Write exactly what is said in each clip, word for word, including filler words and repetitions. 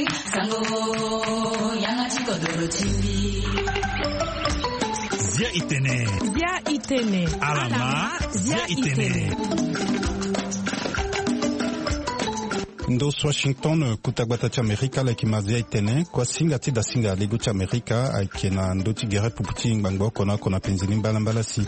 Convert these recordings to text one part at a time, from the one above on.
Sango, yanga ti kodoro ti mbi. Zia itene. Zia itene. Alama, zia itene. Ndo so Washington, kuta gbata ti Amerika, ala yeke ma zia itene. Kuasinga ti dasinga lego ti Amerika ayeke na ndö ti gere pupu ti ngbangbo oko na oko na penzi ni mbalambala si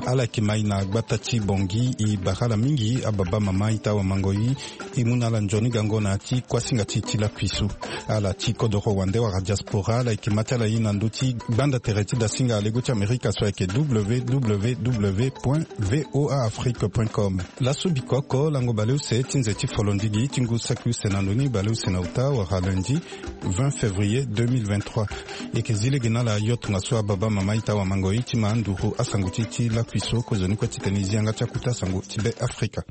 ala yeke ma e na gbata ti Bongi. E bara ala mingi ababa mama ita wamangoi. E mu na ala nzoni gango na ya ti kuasinga ti e ti lakui so. Ala ti kodoro wande wala diaspora, ala yeke ma ti ala ye na ndö ti gbanda tere ti dasinga lego ti Amerika so ayeke www point voa afrique point com. Laso biko oko lango baleuse ti nze ti folondigi ti ngu saki use na ndo ni, baleuse na uta wala lundi vingt février deux mille vingt-trois. E yeke zi lege na ala yo tongaso ababa mama ita wamangoi ti ma nduru asango ti e ti lakui so. Kozoni kue titene e zi yanga ti akuta sango ti Be Afrika.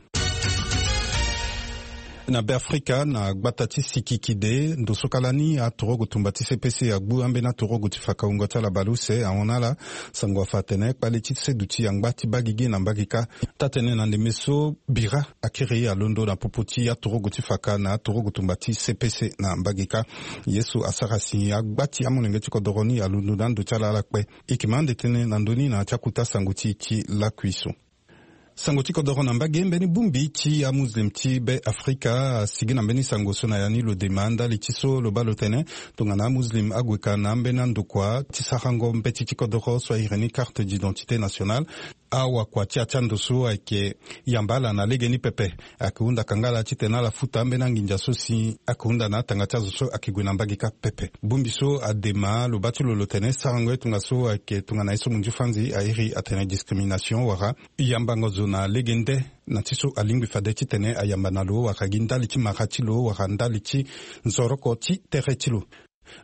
Na Be Afrika, na gbata ti Sikikide, ndo so kala ni atorogo tumba ti C P C agbu ambeni atorogo ti faka wungo ti ala baleuse ahon na ala. Sango afa atene kpale ti seduti angba ti baa gigi na mbage kâ. Taa-tene na ndembe so bira akiri alondo na popo ti atorogo ti faka na atorogo tumba ti C P C na mbage kâ. Ye so asara si agba ti amolenge ti kodoro ni alondo na ando ti ala ala kpe. E yeke ma ande tënë na ndö ni na ya ti akuta sango ti e ti lakui so. Sango ti kodoro na mbage, mbeni bongbi ti amuslim ti Be Afrika asigi na mbeni sango so na ya ni lo dema ndali ti so lo baa lo tene tongana amuslim ague ka na ambeni andokua ti sarango mbeti ti kodoro so ahiri ni carte d'identité nationale, awakua ti ya ti ando so ayeke yamba ala na legeni pepe. Ayeke hunda kanga ala titene ala futa ambeni anginza so si ayeke hunda na atanga ti azo so ayeke gue na mbage kâ pepe. Bongbi so adema lo baa ti lo lo tene sarango ye tongaso ayeke tongana ye so munzu fanzi airi atene discrimination wala yambango zo na lege nde na ti so alingbi fade titene ayamba na lo wala gi ndali ti mara ti lo wala ndali ti nzoroko ti tere ti lo.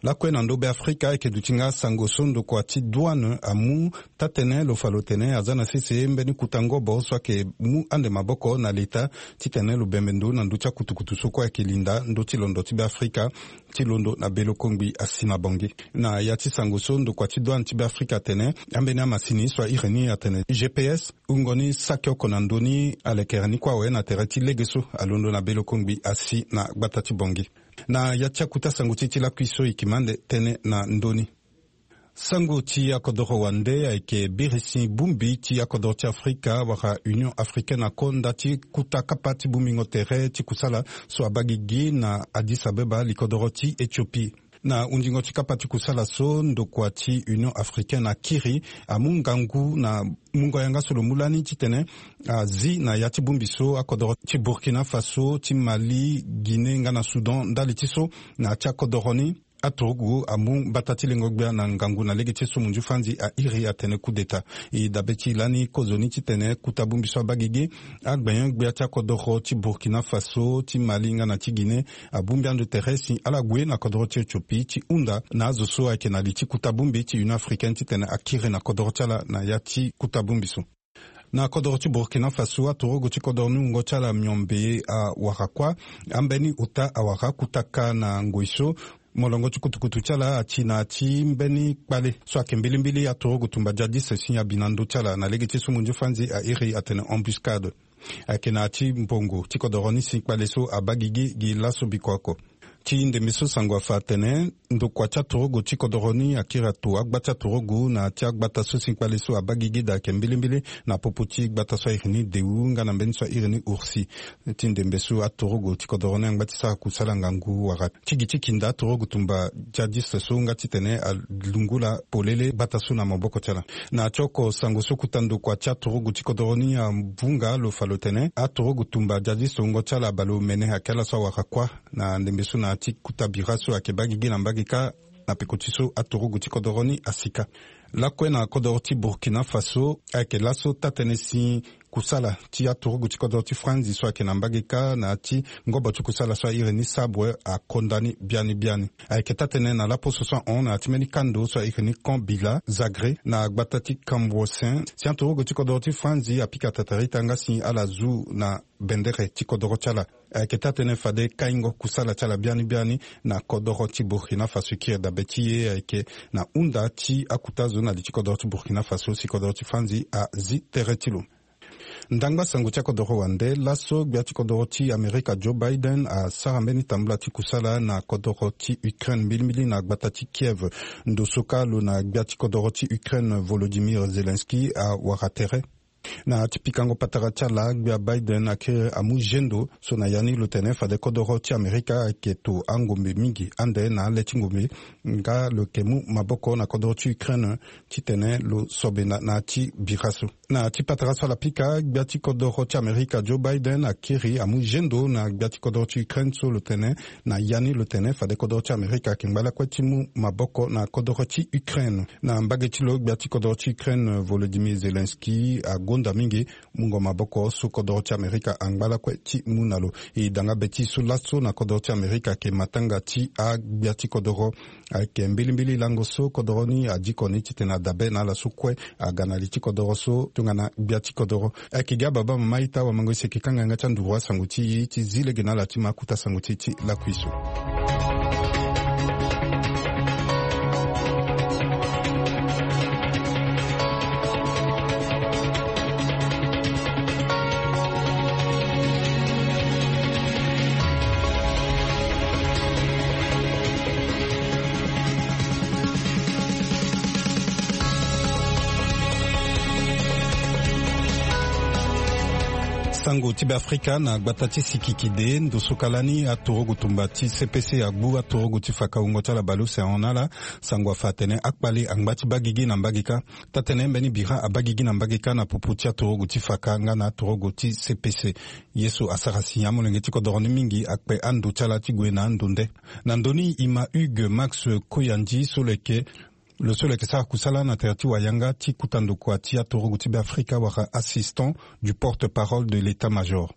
Lakue na ndo Be Afrika ayeke duti nga sango so ndokua ti douane amu taa-tene lo fa lo tene aza na sese mbeni kuta ngobo so ayeke mu ande maboko na leta titene lo bembe ndo na ndö ti akutukutu so kue ayeke linda ndö ti londo ti Be Afrika ti londo na belo kongbi asi na Bangui. Na ya ti sango so ndokua ti douane ti Be Afrika atene ambeni amasini so airi ni atene G P S wungo ni saki oko na ndö ni alekere ni kue awe na tere ti lege so alondo na belo kongbi asi na gbata ti Bangui. Na ya ti akuta sango ti e ti lakui so e yeke ma ande tënë na ndö ni. Sango ti akodoro wande ayeke birisi bongbi ti akodoro ti Afrika wala Union Africaine akonda ti kuta kapa ti bongbingo tere ti kusala so abaa gigi na Addis Abeba, likodoro ti Éthiopie. Na hundingo ti kapa ti kusala so ndokua ti Union Africaine akiri amu ngangu na mungo yanga so lo mu lani titene azi na ya ti bongbi so akodoro ti Burkina Faso, ti Mali, Guinée nga na Soudan ndali ti so na ya ti akodoro ni. Aturugu amu mbata ti lengo gbia na ngangu na lege ti so munzu fanzi airi atene coup d'état. E dabe ti e lani kozoni titene kuta bongbi so abaa gigi agbenyo-gbia ti akodoro ti Burkina Faso, ti Mali nga na ti Guinée abongbi ande tere si ala gue na kodoro ti Éthiopie ti hunda na azo so ayeke na li ti kuta bongbi ti Union Africaine titene akiri na kodoro ti ala na ya ti kuta bongbi so. Na kodoro ti Burkina Faso, aturugu ti kodoro ni wungo ti ala miombe awara kuâ, ambeni ota awara kuta kâ na ngoi so molongo ti kutukutu ti ala ati na ya ti mbeni kpale so ayeke mbilimbili aturugu tumba djadiste si abi na ndö ti ala na lege ti so munzu fanzi airi atene embuscade. Ayeke na ya ti mbongo ti kodoro ni si kpale so abaa gigi gi laso biko oko. Ti ndembe so sango afa atene ndokua ti aturugu ti kodoro ni akiri ato agba ti aturugu na ya ti agbata so si kpale so abaa gigi daa ayeke mbilimbili na popo ti gbata so airi ni Dewou nga na mbeni so airi ni Oursi. Ti ndembe so aturugu ti kodoro ni angba ti sara kusala ngangu wala ti gi ti kinda aturugu tumba djadiste so nga titene alungula polele gbata so na maboko ti ala. Na ya ti oko sango so kuta ndokua ti aturugu ti kodoro ni avunga lo fa lo tene aturugu tumba djadiste wungo ti ala baleomene ayeke ala so awara kuâ. Na ndembe so na ya ti kuta bira so ayeke baa gigi na mbage kâ na peko ti so aturugu ti kodoro ni asika. Lakue na kodoro ti Burkina Faso ayeke laso taa-tënë si kusala ti aturugu ti kodoro ti Franzi so ayeke na mbage kâ na ya ti ngobo ti kusala so airi ni Sabre akonda ni biani biani. Ayeke taa-tënë na laposo so ahon na ya ti mbeni kando so airi ni Camp Bila Zagré na gbata ti Camboissin si aturugu ti kodoro ti Franzi apika tatarita nga si ala zu na bendere ti kodoro ti ala. Ayeke taa-tënë fade kaingo kusala ti ala biani biani na kodoro ti Burkina Faso. Kiri dabe ti e ayeke na hunda ti akuta zo na li ti kodoro ti Burkina Faso si kodoro ti Franzi azi tere ti lo. Ndangba sango ti akodoro wande laso, gbia ti kodoro ti Amerika Joe Biden asara mbeni tambula ti kusala na kodoro ti Ukraine, mbilimbili na gbata ti Kiev. Ndo so ka lo na gbia ti kodoro ti Ukraine Volodymyr Zelensky awara tere. Na ti pikango patara ti ala, gbia Biden akiri amu zendo so na ya ni lo tene fade kodoro ti Amerika ayeke to angombe mingi ande na ale ti ngombe, nga lo yeke mu maboko na kodoro ti Ukraine titene lo sobe na, na ti bira so. Na ti patara so ala pika, gbia ti kodoro ti Amerika Joe Biden akiri amu zendo na gbia ti kodoro ti Ukraine so lo tene na ya ni lo tene fade kodoro ti Amerika ayeke ngba lakue ti mu maboko na kodoro ti Ukraine. Na mbage ti lo, gbia ti kodoro ti Ukraine Volodymyr Zelensky agonda mingi mungo maboko so kodoro ti Amerika angba lakue ti mu na lo. E danga be ti so laso na kodoro ti Amerika ayeke matanga ti agbia ti kodoro. Ayeke mbilimbili lango so kodoro ni adiko ni titene adabe na ala so kue aga na li ti kodoro so tongana gbia ti kodoro. Ayeke gi ababa mama ita wamango isi eke kanga yanga ti anduru asango ti e ti zi lege na ala ti ma kuta sango ti e ti lakui so. Sango ti Beafrika na gbata ti sikikide. Ndo so ka lani, aturugu tumba ti C P C agbu aturugu ti faka wungo ti ala baleuse ahon na ala. Sango afa atene akpale angba ti baa gigi na mbage kâ. Taa-tënë mbeni bira abaa gigi na mbage kâ na popo ti aturugu ti faka nga na aturugu ti C P C. Ye so asara si amolenge ti kodoro ni mingi akpe ando ti ala ti gue na ando nde. Na ndö ni, e ma Hugues Max Koyandi so lo yeke, lo so lo yeke sara kusala na tere ti wayanga ti kota ndokua ti aturugu ti Beafrika wala assistant du porte-parole de l'État-major.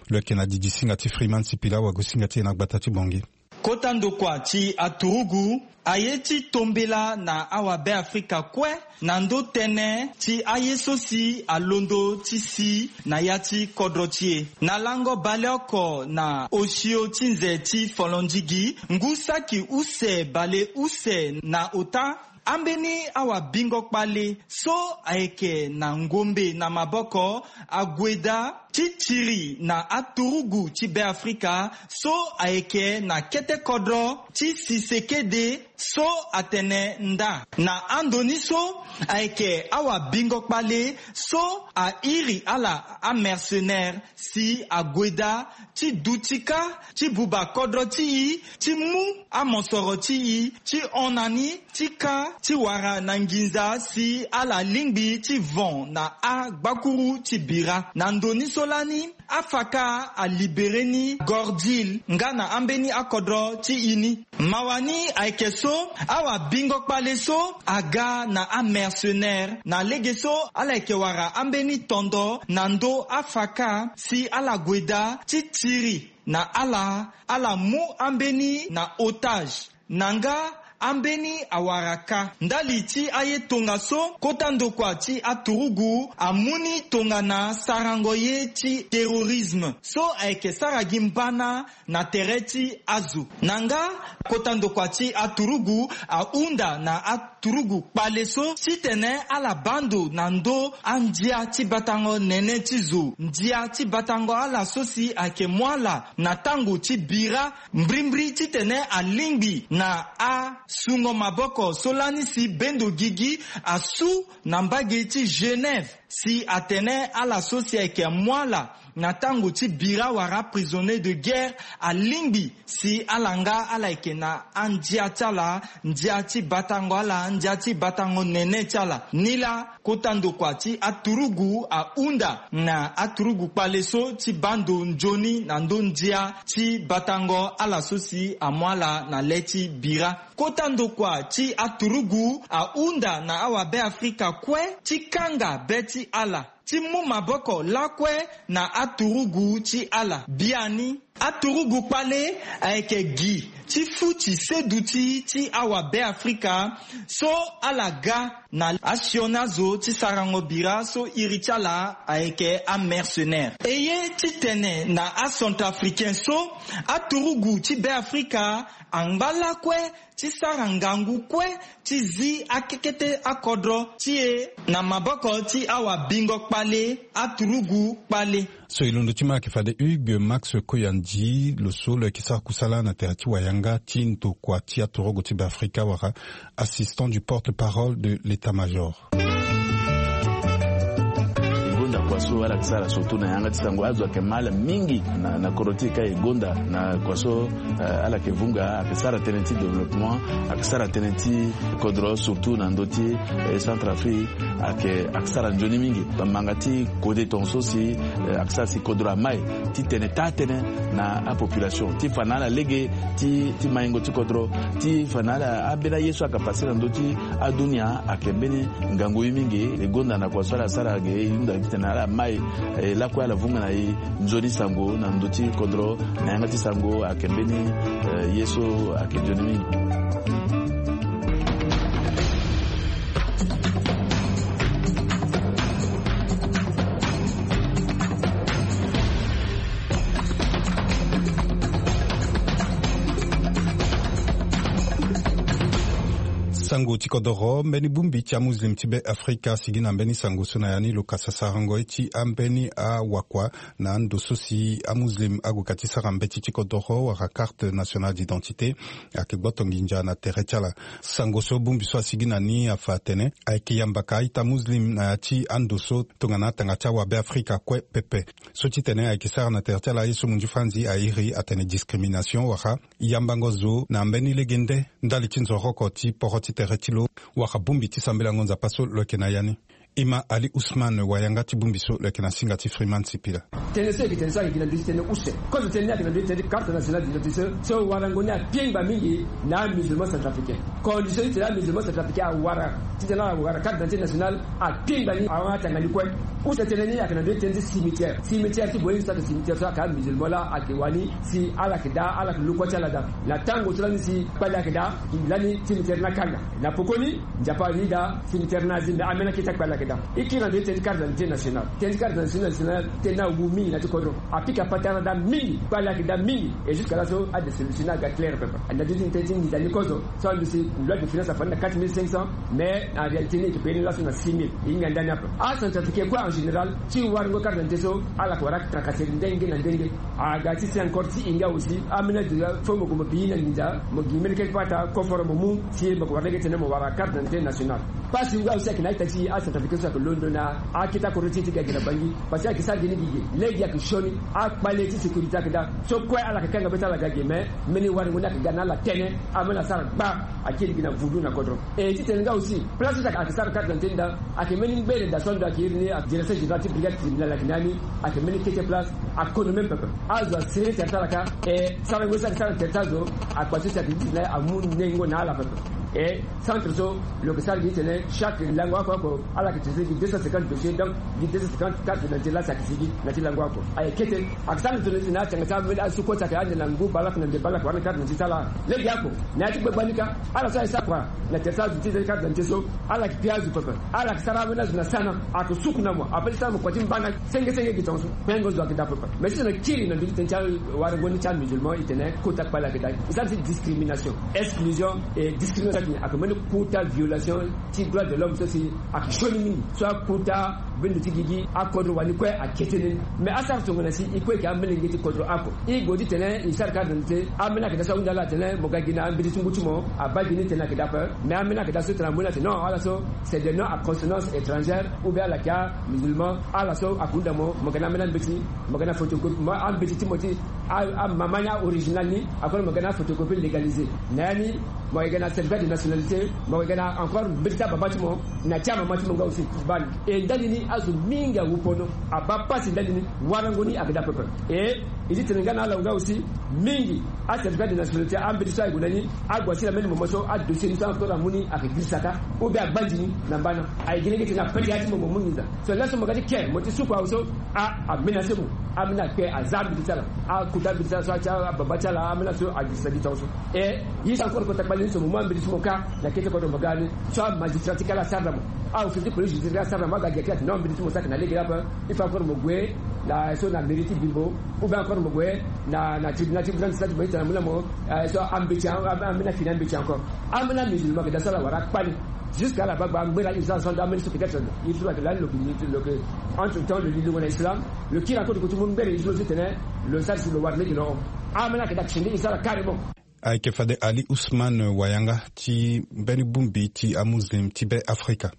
Lo yeke na didi singa ti Freeman Sipila, wagosinga ti e na gbata ti Bangui. Kota ndokua ti aturugu aye ti tombela na awabeafrika kue na ndö tënë ti aye so si alondo ti si na ya ti kodro ti e. Na lango baleoko na osio ti nze ti folondigi, ngu saki use baleuse na ota, ambeni awabingo kpale so ayeke na ngombe na maboko ague daa ti tiri na aturugu ti Beafrika so ayeke na kete kodro ti Sisekedi so atene nda. Na ando ni so ayeke awabingo kpale so airi ala amercenaire si ague daa ti duti kâ ti buba kodro ti e, ti mu amosoro ti e, ti hon na ni, ti kâ ti wara na nginza si ala lingbi ti von na agbakuru ti bira. Na ndo ni so lani, afaka alibere ni Gordil nga na ambeni akodro ti e ni. Mawa ni ayeke so, awabingo kpale so aga na amercenaire na lege so ala yeke wara ambeni tondo na ndö afaka si ala gue daa ti tiri na ala, ala mu ambeni na otage. Na nga ambeni awara kâ. Ndali ti aye tongaso, kota ndokua ti aturugu amu ni tongana sarango ye ti terrorisme so ayeke sara gi mbana na tere ti azo. Na nga kota ndokua ti aturugu ahunda na aturugu kpale so titene ala baa ndo na ndö andia ti batango nene ti zo, ndia ti batango ala so si ayeke mu ala na tango ti bira. Mbrimbri titene alingbi na asungo maboko so lani si bendo gigi asu na mbage ti Genève, si atene ala so si ayeke mu ala na tango ti bira wala prisonnier de guerre alingbi si ala nga ala yeke na andia ti ala, ndia ti batango ala, ndia ti batango nene ti ala. Nilaa kota ndokua ti aturugu ahunda na aturugu kpale so ti baa ndo nzoni na ndö ndia ti batango ala so si amu ala na le ti bira. Kota ndokua ti aturugu ahunda na awabeafrika kue ti kanga be ti ala, ti mu maboko lakue na aturugu ti ala. Biani, Aturugu kpale ayeke gi ti futi seduti ti awabe afrika so ala ga na asioni azo ti sarango bira so iri ti ala ayeke amercenaire. E ye titene na acentrafricain so, aturugu ti be afrika angba lakue ti sara ngangu kue ti zi akekete akodro ti e na maboko ti awabingo kpale, aturugu kpale. So e londo ti ma ayeke fade Hugues Max Koyandi, lo so lo yeke sara kusala na tere ti wayanga ti ndokua ti aturugu ti Beafrika wala assistant du porte-parole de l'état-major. E gonda kua so ala yeke sara surtout na yanga ti sango, azo ayeke ma ala mingi na, na kodro ti e ka e gonda na kua so, eh, ala yeke vunga, ayeke sara tënë ti développement, ayeke sara tënë ti kodro surtout na ndö ti, eh, Centrafrique, ayeke, ayeke sara nzoni mingi. Bamanga ti kode tongaso si, eh, ayeke sara si kodro amai titene taa tënë na apopulation ti fa na ala lege ti, ti maingo ti kodro, ti fa na ala ambeni aye so ayeke pase na ndö ti adunia ayeke mbeni ngangu ye mingi. E gonda na kua so ala sara ge e hunda titene ala mai, eh, lakue ala vunga na e nzoni sango na ndö ti kodro na yanga ti sango ayeke mbeni, eh, ye so ayeke nzoni mingi. Sango ti kodoro, mbeni bongbi ti amuslim ti be afrika asigi na mbeni sango so na ya ni lo kasa sarango ye ti ambeni awakua na ando so si amuslim ague ka ti sara mbeti ti kodoro wala carte nationale d'identité ayeke gboto nginza na tere ti ala. Sango so bongbi so asigi na ni afa atene ayeke yamba ka a-ita muslim na ya ti ando so tongana atanga ti awabe afrika kue pepe. So titene ayeke sara na tere ti ala ye so munzu franzi airi atene discrimination wala yambango zo na mbeni legende ndali ti nzoroko ti poro ti tere ti lo. Wala bongbi ti sambelango nzapa so lo yeke na ya ni. E ma Ali Ousmane, wayanga ti bongbi so lo yeke na singa ti Freeman Sipila. Tënë so e yeke tene so ayeke gi na ndö ti tënë use. Kozo tënë ni ayeke na ndö ti tënë ti carte nationale d'identité so, so warango ni apiengba mingi na amusulman centrafricain. Condition ti tene amusulman centrafricain awara titene ala wara carte d'identité nationale apiengba ni, awa atanga ni kue. Use tënë ni ayeke na ndö ti tënë ti cimetière. Cimetière ti boye ni so ayeke cimetière so ayeke amusulman laa ayeke wani si ala yeke daa, ala yeke lokua ti ala daa. Na tango so lani si kpale ayeke daa, lani cimetière ni akanga. Na pokoni, nzapa ali daa, cimetière ni azi, me ambeni akete ti kpale ayeke daa. E kiri na ndö ti tënë ti carte d'identité nationale. Tënë ti carte d'identité nationale, tënë ni awu mingi na ya ti kodro. Apika patara daa mingi, kpale ayeke daa mingi. Et jusqu'à là so, adesolution ni aga clair pepe. Na ndö ti tënë ti nginza ni kozo, so ando si loi de finance afa ni na quatre mille cinq cents, mais en réalité ni e yeke payé ni laso na six mille. E hinga ndani ape. Acentrafricain kue en général, ti warango carte d'identité so, ala yeke wara tracasserie ndenge na ndenge. Aga ti si encore ti e nga aussi, ambeni azo fo mo gue mo bi na nginza, mo gi mbeni keke pata koforo mo mu, si mo yeke wara lege titene mo wara carte d'identité nationale. Pasi nga aussi ayeke na a-ita ti e acentrafricain so ayeke londo na akete akodro ti e ti ga gi na Bangui. Parce que ayeke sara gi ni gigi. Lege ayeke sioni, akpale ti sécurité ayeke daa. So kue ala yeke kanga be ti ala ga gi, mais mbeni warango ni ayeke ga na ala tënë, ambeni asara gba, akiri gi na vundu na kodro. E titene nga aussi, place so ayeke sara carte d'identité ni daa, ayeke mbeni ngbere daa so ando ayeke iri ni direction générale ti brigade criminelle ayeke na ya ni, ayeke mbeni kete place, akono même pepe. Azo asere tere ti ala ka, e sarango so ayeke sara na tere ti azo, akpa so si ayeke gi titene amu nengo na ala pepe. E centre so lo yeke sara gi titene chaque lango oko oko ala yeke traiter gi deux cent cinquante dossiers, donc gi deux cent cinquante cartes d'identité laa si ayeke sigi na ya ti lango oko. Ayeke kete, ayeke sara na tene si na atanga ti ambeni asu kue si ayeke ande na ngu baleoko na nde baleoko wara na carte d'identité ti ala. Lege oko na ya ti gbagba ni ka, ala so ayeke sara kua na tere ti azo ti carte d'identité so, ala yeke pia azo pepe. Ala yeke sara ambeni azo na sana, ayeke suku na mo, ape ti sara mo kua ti mbana senge senge gi tongaso. Pengo zo ayeke daa pepe. Mais si tene kiri na ndö ti tënë ti awarango ni ti amusulman, e tene kota kpale ayeke daa. E sara ti discrimination, exclusion et discrimination. Ayeke mbeni kota violation ti droit de l'homme so si ayeke sioni mingi. So akota bendo ti gigi akodro wani kue akete ni. Mais asara tongana si e kue e yeke amolenge ti kodro oko. E gue titene e sara carte d'identité, ambeni ayeke daa so ahunda ala atene mo ga gi na ambeti ti ngu ti mo, abaa gi ni tene ayeke daa ape. Mais ambeni ayeke daa so tene amu ni atene non, ala so c'est des noms à consonance étrangère, ou bien ala yeke amusulman, ala so ayeke hunda mo, mo ga na ambeni ambeti, mo ga na photocopie, mo ambeti ti mo ti a, amama ni a original ni, akono mo ga na photocopie légalisée. Na ya ni, mo yeke ga na certificat de nationalité, mo yeke ga na encore mbeti ti ababa ti mo, na ti amama ti mo nga aussi ti baa ni. E ndali ni azo mingi awu pono, abaa pasi ndali ni, warango ni ayeke daa pepe. E e ti tene nga na ala nga aussi mingi, acertificat de nationalité ambeti so aye gue na ni, ague asi na mbeni moment so adossier ni so akota amu ni ayeke giri saka, ou bien agbanzi ni na mbana. Aye gi lege titene apete ya ti mo, mo mu nginza. So laso mo ga ti ke mo ti suku awe so, a, amenacer mo. Ambeni akpe aza mbeti ti ala, akuta mbeti ti ala so, ababa ti ala ambeni aso agisa gi tongaso. E ye so encore kota kpali ni so mo mu ambeti ti mo kâ na kete kodro mo ga ni. So amagistrat ti kala asara na mo, aofficier ti police judiciaire asara na mo, aga gi ake ati non, mbeti ti mo saki na lege ape. Il faut encore mo gue na so na mairie ti Bimbo, ou bien encore mo gue na tribunal ti grande instance ti mo, ita na mo na mo so ambeti ambeni afini ambeti encore. Ambeni amusulman ke da so ala wara akpali. Jusqu'à la bagba ngbera islam so ndo ameni so peut-être il faut la lo ke entre temps lo li lo na islam. Lo kiri encore ti ko ti mu ngbera islam ti tene lo sara si lo wara lege lo. Ambeni ake dak sende islam carrément. Ayeke fade Ali Ousmane Wayanga ti mbeni bongbi ti amuslim ti be Afrika.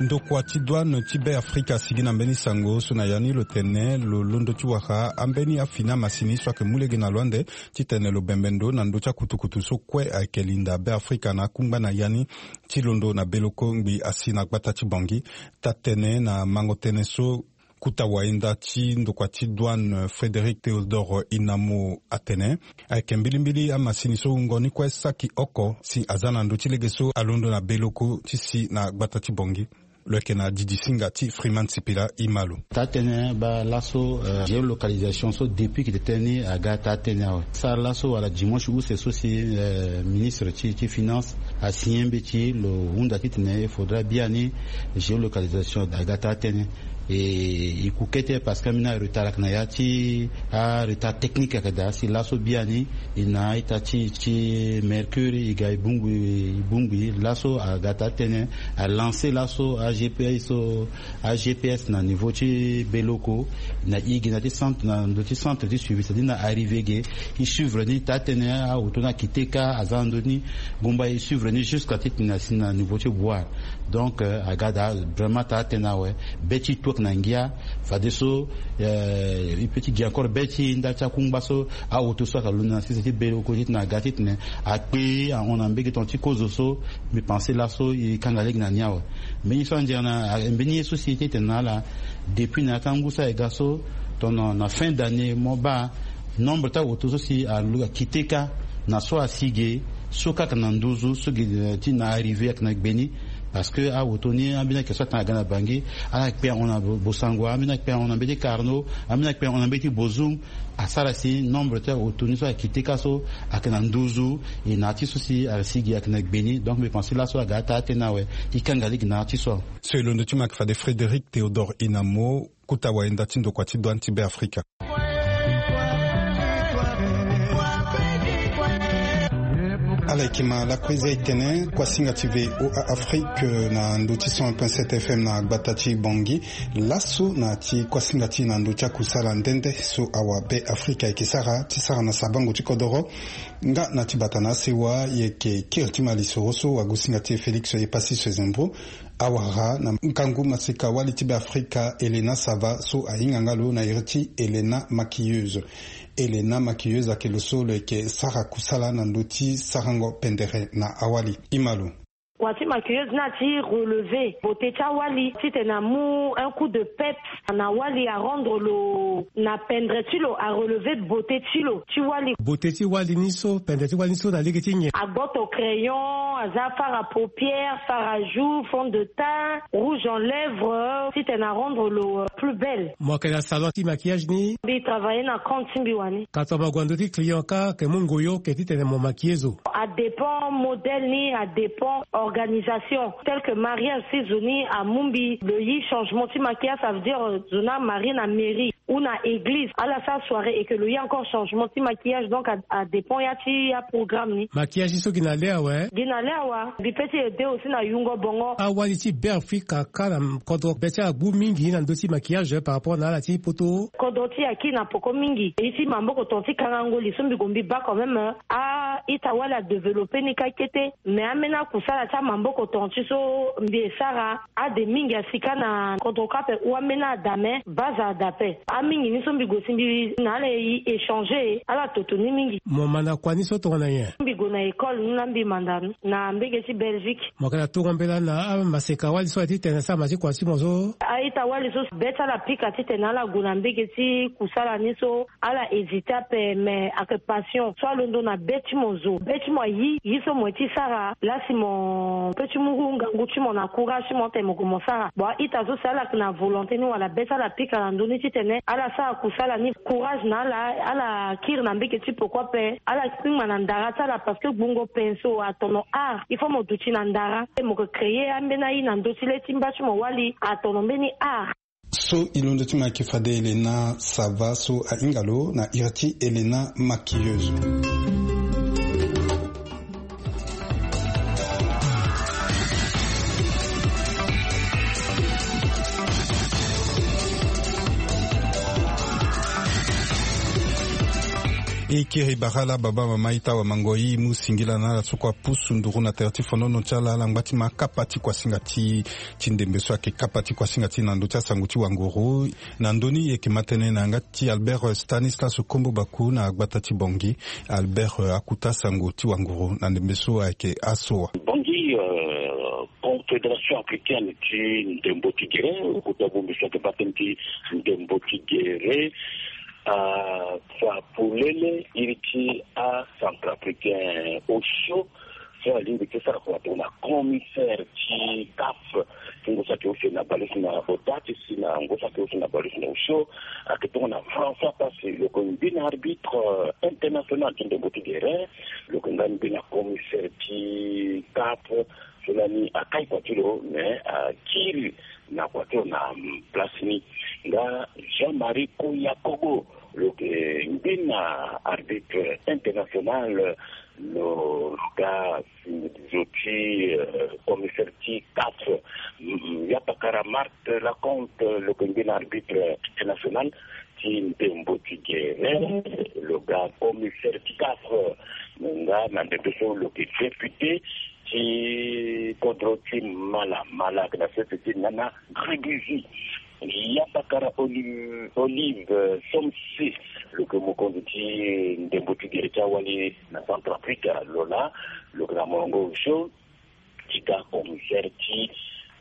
Ndokua ti douane ti be Afrika asigi na mbeni sango so na ya ni lo tene lo londo ti wara ambeni afini amasini so ayeke mu lege na lo ande titene lo bembe ndo na ndö ti akutukutu so kue ayeke linda be Afrika na akungba na ya ni ti londo na beloko ngbi asi na gbata ti Bangui. Taa-tënë na mango tënë so kuta wayenda ti ndokua ti douane Frédéric Théodore Inamo atene ayeke mbilimbili amasini so wungo ni kue saki oko si aza na ndö ti lege so alondo na beloko ti si na gbata ti Bangui. Lo yeke na didi singa ti Freeman Sipila. Ima lo. Taa-tënë baa laso géolocalisation so depuis ki tene ni aga taa-tënë awe. Sara laso wala dimanche use so si ministre ti finance asigné mbeti lo hunda titene il faudra biani géolocalisation aga taa-tënë. E ku kete parce que ambeni aretard ayeke na ya ti aretard technique ayeke daa si laso biani e na a-ita ti mercure e ga e bongbi e bongbi laso aga taa-tënë. Alancer laso agps so agps na niveau ti beloko na e gi na ti centre na ndö ti centre ti suivi c'est-à-dire na arrivé ge e suivre ni taa-tënë. Aoto ni akite kâ aza na ndö ni gumba e suivre ni jusqu'à titene asi na niveau ti boire. Donc aga daa vraiment taa-tënë awe. Be ti e tu ayeke na ngia fadeso e peut ti gi encore be ti e ndali ti akungba so aoto so ayeke londo na sese ti beloko titene aga titene akpe ahon na mbege tonga ti kozo so. Mbi pense laso e kanga lege na ni awe. Mbeni so andiara na mbeni ye so si e tene na ala depuis na ya ti angu so aye ga so tongana na fin d'année mo baa nombre ti aoto so si akite kâ na so asi ge so kâ ayeke na nduzu so ge ti na arrivé ayeke na gbe ni. Parce que aoto ni ambeni ayeke so atanga aga na Bangui ala kpe ahon na Bossangoa, ambeni akpe ahon na mbeti Carnot, ambeni akpe ahon na mbeti Bozoum. Asara si nombre ti aoto ni so akite kâ so ayeke na nduzu. E na ya ti so si asi ge ayeke na gbe ni donc mbi pense laso aga ataa-tënë awe. E kanga lege na ya ti so. So e londo ti mo ayeke fade Frédéric Théodore Inamo kuta wayenda ti ndokua ti douane ti be Afrika. Ala yeke ma lakue za e tene kuasinga ti VOA Afrique na ndö ti cent un point sept FM na gbata ti Bangui. Laso na ti kuasinga ti na ndö ti akusala nde nde so awa be Afrika ayeke sara ti sara na sabango ti kodoro. Nga na ti bata na asewa e yeke kiri ti ma lisoro so wagosinga ti e Félix Epassi Sezembro awara na ngangu maseka wali ti be Afrika Helena Sava so ahinga nga lo na iri ti Helena Maquilleuse. Helena Maquilleuse ayeke lo so lo yeke sara kusala na ndö ti sarango pendere na awali. Ima lo. Kua ti maquilleuse ni ati relever beauté ti awali titene amu un coup de peps na wali, arendre lo na pendre ti lo, arelever beauté ti lo ti wali. Beauté ti wali ni so, pendre ti wali ni so na lege ti nyen? Agboto crayon, aza fard à paupières, fard à joues, fond de teint, rouge en lèvres titene arendre lo plus belle. Mo yeke na salon ti maquillage ni? Mbi travailler na compte ti mbi wani. Ka tongana mo gue na ndö ti client kâ, ke mu ngoyo ke titene mo maquiller zo? Adépend modèle ni, adépend organisation. Tel que mariage, si zo ni amu mbi lo yi changement ti maquillage, ça veut dire zo ni amarie na mairie ou na église, ala sara soirée et que lo yi encore changement ti maquillage, donc adépend ya ti aprogramme ni. Maquillage ni so gi na le awe? Gi na le awe. Mbi pe ti aider aussi na yungo bongo. Awali ti be Afrika kâ na kodro be ti ala agbu mingi na ndö ti maquillage par rapport na ala ti poto. Kodro ti aki na poko mingi. Ye ti maboko tonga ti kangango li so mbi gue mbi baa quand même a-ita wali adévelopper ni kâ kete. Mais ambeni akusala ti amaboko tonga ti so mbi e sara, ade mingi asi kâ na kodro kâ ape ou ambeni ada, mais base ada ape. Amingi ni so mbi gue si mbi na ala e échanger, ala toto ni mingi. Mo ma na kua ni so tongana nyen? Mbi gue na école ni na mbi manda na mbege ti Belgique. Mo yeke na tongo mbela na amaseka wali so aye titene asara ma ti kua ti mo so. A-ita wali so be ti ala pika titene ala gue na mbege ti kusala ni so ala hésite ape, mais ayeke passion so alondo na be ti mo zo. Be ti mo ayi yi so mo ye ti sara laa si mo pe ti mu ngangu ti mo na courage ti mo tene mo gue mo sara. Bon, a-ita so si ala yeke na volonté ni wala be ti ala pika na ndö ni titene ala sara kusala ni, courage na ala, ala kiri na mbege ti poko ape, ala kpingba na ndara ti ala parce que gbungo pinceau atono art. Il faut mo duti na ndara, mo yeke créer ambeni aye na ndö ti le ti mba ti mo wali atono mbeni art. So e londo ti mo ayeke fade Elena, ça va, so ahinga lo na iri ti Elena maquilleuse. E kiri bara la baba mama ita wamango i mu singila na ala so kue apusu nduru na tere ti fonono ti ala, ala ngba ti ma kapa ti kuasinga ti, ti ndembe so ayeke kapa ti kuasinga ti na ndö ti asango ti wanguru. Na ndö ni e yeke ma tënë na yanga ti Albert Stanislas Kombo Baku na gbata ti Bangui. Albert, akuta sango ti wanguru na ndembe so ayeke aso wa. Bangui, euh, Confédération africaine ti ndembo ti gere, kota bongbi so ayeke baa tënë ti ndembo ti gere, afa polele iri ti acentrafricain osio so alingbi ti sara kua tongana commissaire ti CAF, ti ngu so ayeke hausse na baleuse na bota ti si na ngu so ayeke hausse na baleuse na osio, ayeke tongana François Passy, lo yeke ngbi na arbitre, euh, international ti ndembo ti gere, lo yeke nga ngbi na commissaire ti CAF. So lani akai kua ti lo, mais akiri na kua ti lo na, mm, place ni. Nga Jean-Marie Koyakobo, lo yeke ngbi na arbitre international, lo, lo ga zo ti, euh, commissaire ti CAF. Mm, ya pakara Marthe Laconte, lo yeke ngbi na arbitre international ti ndembo ti gere, lo ga commissaire ti CAF. Nga na ndembe so lo yeke député ti kodro ti Mala, Mala ayeke na sese ti Nana Gréguzy. Ya pakara Olive, Olive, euh, Somsi, lo yeke mokonzi ti ndembo ti gere ti awali na Centrafrique, lo laa lo yeke na molongo osio ti ga commissaire ti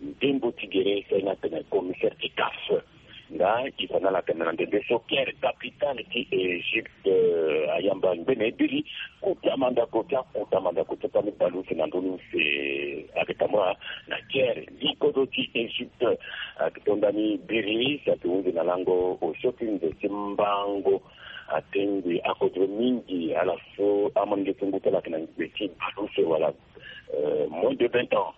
ndembo ti gere, so aye ni atene commissaire ti CAF. Nga e fa na ala atene na ndembe so Caire, capitale ti Égypte, euh, ayamba ngbene biri, kota mandako ti akota mandako ti akota ni baleuse na ndö ni use ayeke tambula na Caire. Li kodro ti Égypte ayeke to ndani biri si ayeke hunzi na lango osio ti nze ti mbango. Atengbi akodro mingi ala so amolenge so ngu ti ala ayeke na ngbe ti baleuse wala, euh, moins de vingt ans.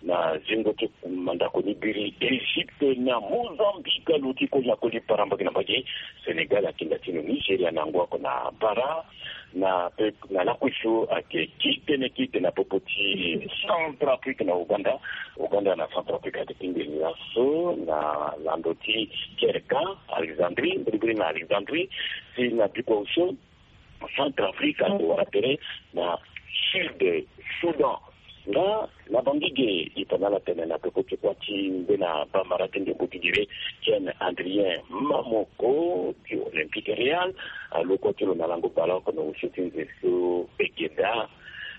Na zingo ti mandako ni biri, Égypte na Mozambique aluti koli na koli, parambaki na mbage. Sénégal akinda ti lo Nigeria na ngu oko na bara. Na pe, na lakui so ayeke ki tënë ki tene na popo ti Centrafrique na Ouganda. Ouganda na Centrafrique ayeke ti ngbeni laso na lando ti Kerka, Alexandrie, mbirimbiri na Alexandrie, si na bikua osio Centrafrique ayeke wara tere na Sud Soudan. Nga na Bangui ge, e fa na ala tene na peko ti kua ti ngbene bamara ti ndembo ti gere, Ken Adrien Mamoko ti Olympique Real, alo kua ti lo na lango baleoko na osio ti nze so Begeda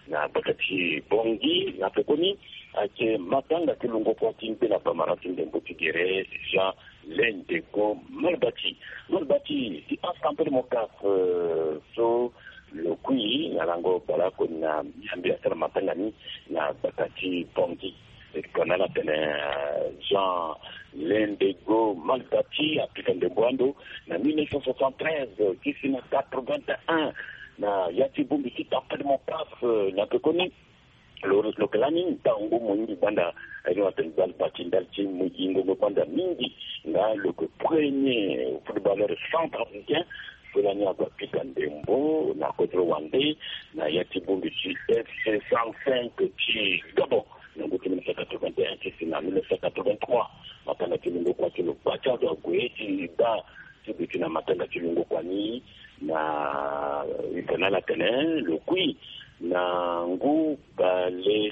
na gbata ti Bangui. Na pekoni ayeke matanga ti lungo kua ti ngbene bamara ti ndembo ti gere, Jean Lendego Malbati. Malbati, ti akampe ti mo CAF, euh, so lo kui na lango baleoko na Miambe asara matanga ni na gbata ti Bangui. E tongana ala tene, euh, Jean Lendego Malbati apika ndembo ando na mille neuf cent soixante-treize ti si na quatre-vingt-un na ya ti bongbi ti kampe ti mo CAF, euh, na pekoni. Lo, lo yeke lani ntangu mingi gbanda, aye ni atene Malbati ndali ti mo yingo gbanda mingi. Nga lo yeke premier footballeur centrafricain so lani ague apika ndembo na kodro wande na ya ti bongbi ti F C cent cinq ti Gabon na ngu ti mille neuf cent quatre-vingt-un ti si na mille neuf cent quatre-vingt-trois. Matanga ti lungo kua ti lo gba ti ado ague ti baa ti duti na matanga ti lungo kua ni na, eh, e tene na ala tene lo kui na ngu bale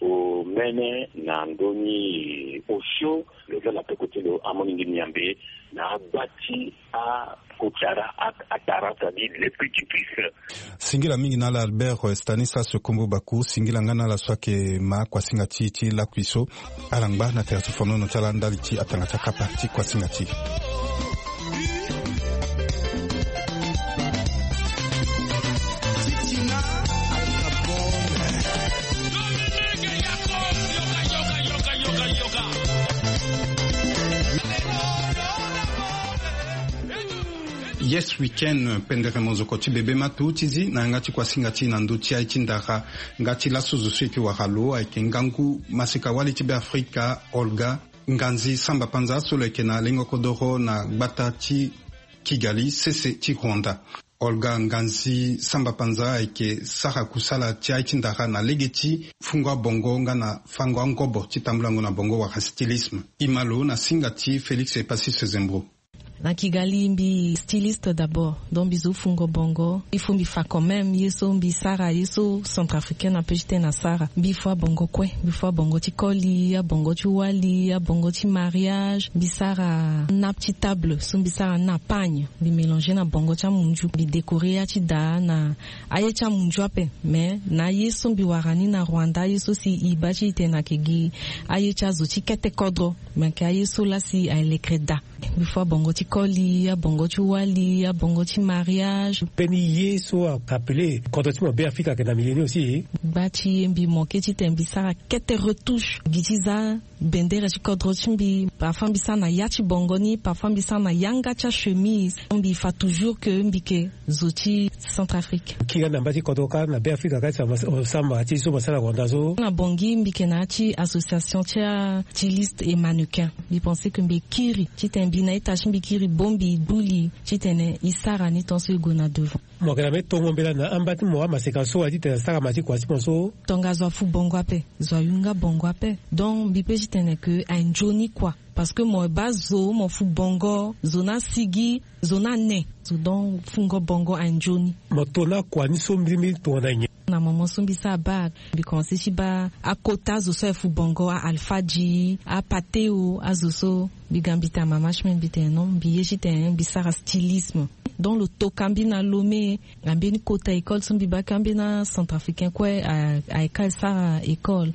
Omene na ndö ni osio lo za na peko ti lo amolenge miambe na agba ti akotara, atara, c'est-à-dire les petits puces. Singila mingi na ala Albert, eh, Stanislas Kombo Baku, singila nga na ala so ayeke ma kuasinga ti, ti lakui so. Ala ngba na tere ti fonono ti ala ndali ti atanga ti akapa ti kuasinga ti. Yes Weekend, pendere mozoko ti bebe ma tu ti zi na yanga ti kuasinga ti na ndö ti aye ti ndara. Nga ti laso zo so eke wara lo ayeke ngangu maseka wali ti Beafrika, Olga Nganzi Samba Panza, so lo yeke na lengo kodoro na gbata ti Kigali, sese ti Rwanda. Olga Nganzi Samba Panza ayeke sara kusala ti aye ti ndara na lege ti fungo abongo nga na fango angobo ti tambulango na bongo wala stylisme. E ma lo na singa ti Félix Epasis Zembro. Na Kigali mbi styliste d'abord, donc mbi zo fungo bongo. Il faut mbi fa quand même ye so mbi sara, ye so centrafricaine ape ti tene asara. Mbi fo abongo kue, mbi fo abongo ti koli, abongo ti wali, abongo ti mariage. Mbi sara nappe ti table, so mbi sara na pagne, mbi mélanger na bongo ti amunzu, mbi décorer ya ti daa na aye ti amunzu ape. Mais na aye so mbi wara ni na Rwanda, aye so si e baa ti e tene ayeke gi aye ti azo ti kete kodro, mais ayeke aye so laa si aye lekere daa. Mbi fo abongo ti koli, abongo ti wali, abongo ti mariage. Mbeni ye so ayeke appelé kodro ti mo Beafrika ayeke na milieu ni aussi. Gba ti ye mbi manqué titene mbi sara kete retouche gi ti za bendere ti kodro ti mbi. Parfois mbi sara na ya ti bongo ni, parfois mbi sara na yanga ti achemise. Mbi fa toujours que mbi yeke zo ti Centrafrique. Kiri na mba ti kodro kâ na Beafrika kâ ti samba ti so mo sara na Rwanda so. Na Bangui mbi yeke na ya ti association ti astyliste et mannequin. Mbi pensé que mbi kiri titene mbi na ita ti mbi kiri bongbi, duli titene e sara ni tant so e gue na devant. Mo yeke na mbeni tongo mbela na amba ti mo amaseka so wa titene asara ma ti kua ti mo so. Tongaso afu bongo ape, zo ayu nga bongo ape. Donc mbi pe titene que aye nzoni kua. Parce que mo baa zo, mo fu bongo, zo ni asigi, zo ni ane. Zo donc fungo bongo aye nzoni. Mo to na kua ni so mbirimbiri tongana nyen? Na moment so mbi sara bac, mbi commencé ti baa akota azo so aye fu bongo, a-Alpha Dji, a-Pateo, azo so. Mbi ga mbi tene mama ti mbi, mbi tene non, mbi ye titene mbi sara stylisme. Donc lo toka mbi na Lomé, na mbeni kota école so mbi baa kâ mbeni acentrafricain kue a, ayeke sara école.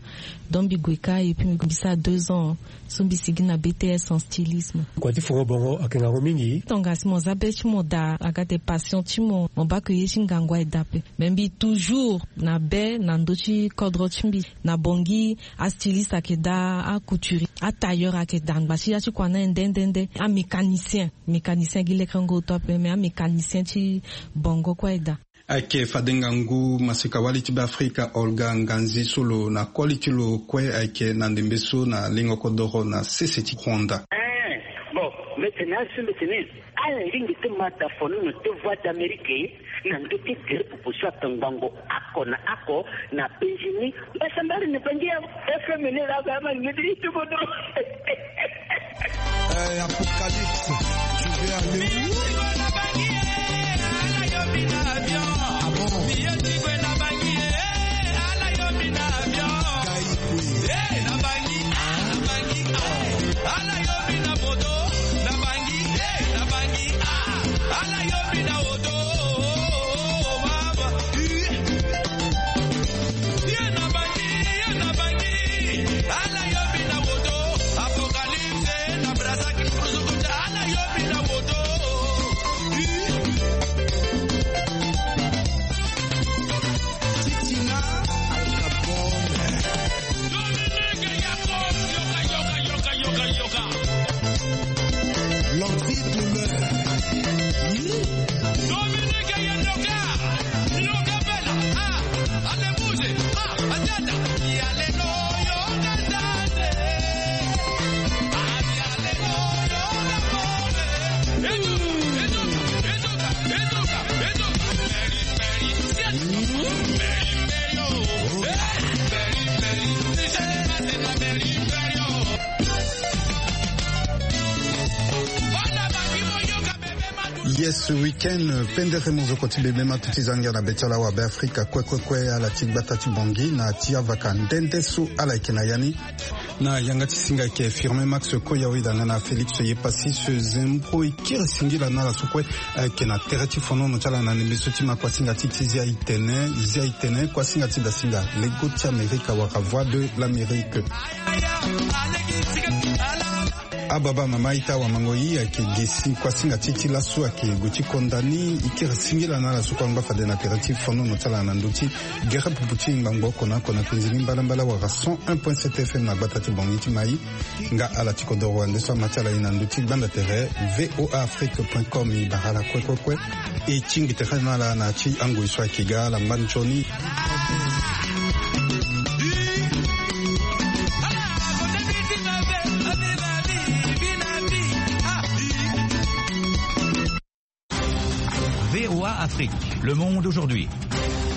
Donc mbi gue kâ et puis mbi sara deux ans so mbi sigi na B T S en stylisme. Kua ti fungo bongo ayeke ngangu mingi. Tongaso mo za be ti mo daa, aga de passion ti mo, mo baa ke ye ti ngangu aye daa ape. Mais mbi toujours na be na ndö ti kodro ti mbi. Na Bangui, astyliste ayeke daa, acouturier, atailleur ayeke daa, angba ti ya ti kua ni aye nde nde nde. Amécanicien, mécanicien gi lekerengo oto ape, mais amécanicien ti bongo kue aye daa. Ayeke fade ngangu maseka wali ti Beafrika Olga Nganzi so lo na koli ti lo kue ayeke na ndembe so na lengo kodoro na sese ti Rwanda. Eh, bon, mbi tene azo, mbi tene ala lingbi ti ma daa fonono ti Voix d'Amérique na ndö ti gere popo so atongbango oko na oko na penzi ni. Mbasambala na Bangui ya F M ni laa, ba ma ngedi ti bodo. Eh, Apocalypse, tu veux aller où? Ah bon? Guy Kwe. Yes, weekend pendere mozoko ti bebe ma tuti zangia na beti ala wa be afrika kue kue kue ala ti gbata ti bongi na ti avaka ndende so ala yeke na yani. Na yanga ti singa ayeke firme max koya oyeda nga na félix ye pasi se zembro ekiri singila na ala so kue. Ayeke na tere ti fonono ti ala na ndembe so ti ma kuasinga ti ti zia itene zia itene kuasinga ti dasinga lego ti amerika waka voix de l'amérique. Ababa mama ita wamango i ayeke gesi kuasinga ti ti laso ayeke gue ti konda ni. Ikiri singila na ala so kue angba fade na tere ti fonono ti ala na ndö ti gere pupu ti ngbangbo oko na oko na penzi ni mbalambala wara cent un point sept fm na gbata ti bongi ti mai. Nga ala ti kodoro ande so ama ti ala i na ndö ti gbanda tere voa afrique point com i bara ala kue kue kue. E tingbi tere na ala na ti angoi so ayeke ga ala ngba nzoni. Voa Afrique, le monde aujourd'hui.